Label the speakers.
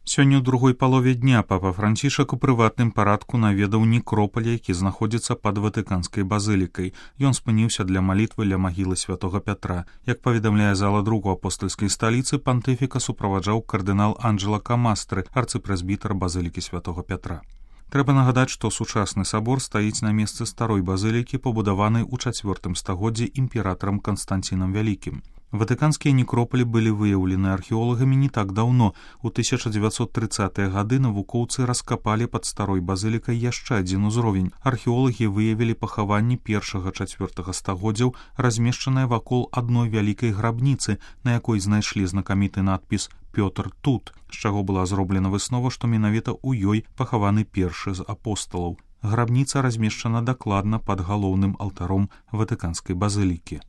Speaker 1: Сёння ў другой палове дня папа Францішак у прыватным парадку наведаў некропаль, які знаходзіцца пад Ватыканскай базылікай. Ён спыніўся для малітвы ля магілы святога Пятра. Як паведамляе зала друку апостальскай сталіцы, пантыфіка суправаджаў кардынал Анджела Камастры, арцыпрэзбітар базылікі святога Пятра. Трэба нагадаць, што сучасны сабор стаіць на месцы старой базылікі, пабудаванай у 4 стагоддзі імператарам Канстанцінам Вялікім. Ватыканскія некропалі былі выяўлены археолагамі не так даўно. У 1930-е гады навукоўцы раскапалі пад старой базылікай яшчэ адзін узровень. Археолагі выявілі пахаванні 1-4 стагоддзяў, размешчаныя вакол адной вялікай грабніцы, на якой знайшлі знакаміты надпіс «Пётр тут», з чаго была зроблена выснова, што менавіта ў ёй пахаваны першы з апосталаў. Грабніца размешчана дакладна пад галоўным алтаром Ватыканскай базылікі.